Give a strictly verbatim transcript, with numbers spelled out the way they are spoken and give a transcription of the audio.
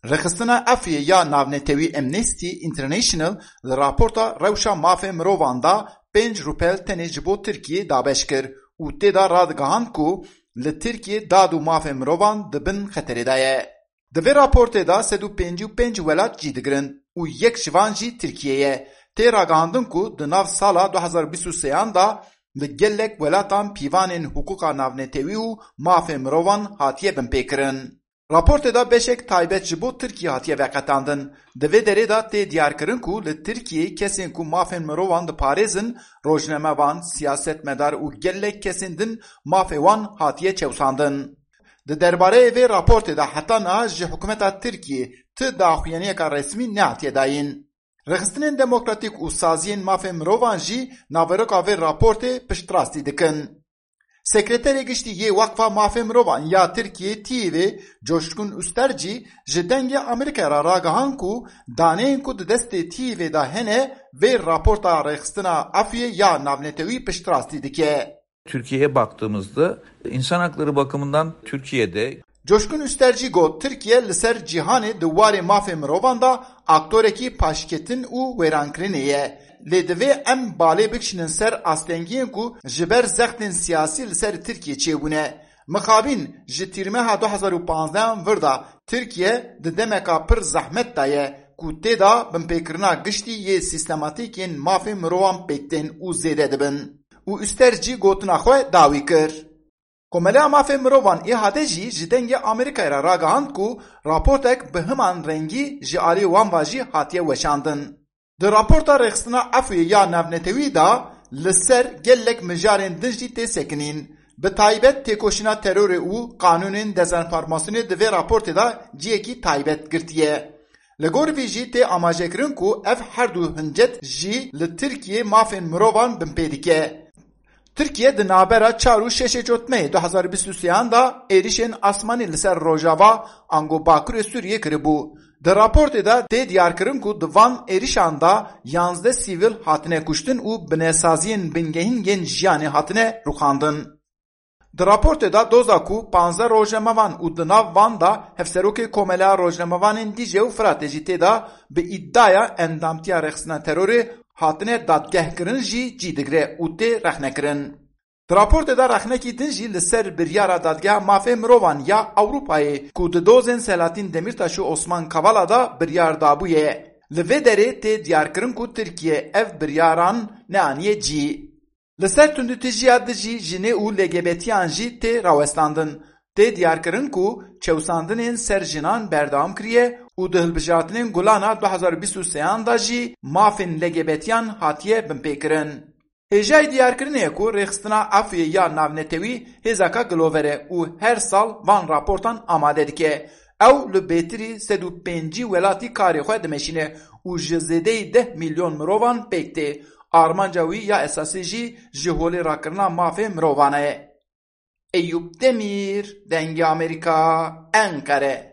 Rêxistina Efûyê ya navnetewî Amnesty International li raporta rewşa mafê mirovan de pênc rûpel tenê ji bo Tirkiyê dabeş kir û tê de radigihand ku li Tirkiyê dad û mafê mirovan di bin xeterê de ye. Di vê raportê de sed û pêncî û pênc welat cî digirin û yek ji van jî Tirkiye ye. Tê ragihandin ku di nav sala du hezar bîst û sêyan de li gelek welatan pîvanên hiqûqa navnetewî û mafê mirovan hatiye binpêkirin. Raportê de beşek taybet ji bo Tirkiyê hatiye veqetandin. Di vê derê de tê diyarkirin ku li Tirkiyê kesên ku mafên mirovan diparêzin, rojnamevan, siyasetmedar û gelek kesên din mafê wan hatiye çewsandin. Di derbareyê vê raportê de heta niha ji hikûmeta Tirkiyê ti daxuyaniyeka resmî nehatiye dayîn. Rêxistinên demokratîk û saziyên mafên mirovan jî naveroka vê raportê piştrastî dikin. Sekreterê Giştî yê Weqfa Mafê Mirovan ya Tirkiyê, TİVê, Coşkun Üsterci, ji Dengê Amerîkayê re ragihand ku daneyên ku di destê TİVê de hene, vê raporta Rêxistina Efûyê ya navnetewî piştrastî dike. Türkiye'ye baktığımızda insan hakları bakımından Türkiye'de Coşkun Üsterci got, Tirkiye li ser cîhanê di warê mafê mirovan de aktorekî paşketin û wêrankirinê ye. Lê divê em balê bikişînin ser astengiyên ku ji ber zextên siyasî li ser Tirkiye çêbûne. Mixabin ji tîrmeha du hezar û panzdeh an vir de Tirkiye di demeka pir zehmet de ye ku tê de binpêkirina giştî yê sîstematîk yên mafê mirovan pêk tên û zêde dibin. Û Üsterci gotina xwe dawî kir. Komeleya Mafê Mirovan ê hate jî ji Dengê Amerîkayê re ragihand ku raportek bi himan rengî ji alî wan ve jî hatiye weşandin. Di raporta Rêxistina Efûyê ya navnetewî de li ser gelek mijarên din jî tê sekinîn. Bi taybet têkoşîna terorê û qanûnên dezenformasyonê di vê raportê de cihekî taybet girtiye. Li gor vî jî tê amajekirin ku ev her du hincet jî li Tirkiyê mafên mirovan binpê dike. Tirkiye di navbera çar û şeşê Cotmehê du hezar bîst û sêyan de êrişên asmanî li ser rojava ango bakurê Sûriyê kiribû. Di raportê de tê diyarkirin ku di van êrişan de yanzdeh sivîl hatine kuştin û binesaziyên bingehîn yên jiyanê hatine rûxandin. Di raportê de doza ku panzdeh rojnamevan û di nav van de hevserokê Komeleya Rojnamevanên Dîcle û Firatê jî tê de bi îdiaya endamtiya rêxistina terorê hatine dadgehkirin jî cî digire û tê rexnekirin. Di raportê de rexnekî din jî li ser biryara Dadgeha Mafê Mirovan ya Ewropayê ku di dozên Selahattin Demirtaş û Osman Kavala de biryar dabûye. Li vê derê tê diyarkirin ku Tirkiye ev biryaran neaniye cî. Li ser tundûtîjiya dijî jinê û L G B T'yan jî tê rawestandin. Tê diyarkirin ku çewsandinên ser jinan berdewam kiriye û di hilbijartinên Gulana du hezar û bîst û sêyan de jî mafên L G B T'yan hatiye binpêkirin. Hêjayî diyarkirinê ye ku Rêxistina Efûyê ya navnetewî hêzeka gilover e û her sal van raportan amade dike. Ew li bêtirî sed û pêncî welatî karê xwe dimeşîne û ji zêdeyî deh milyon mirovan pêk tê. Armanca wî ya esasî jî ji holê rakirina mafê mirovan e. Eyûp Demîr, Dengê Amerîka, Enqere.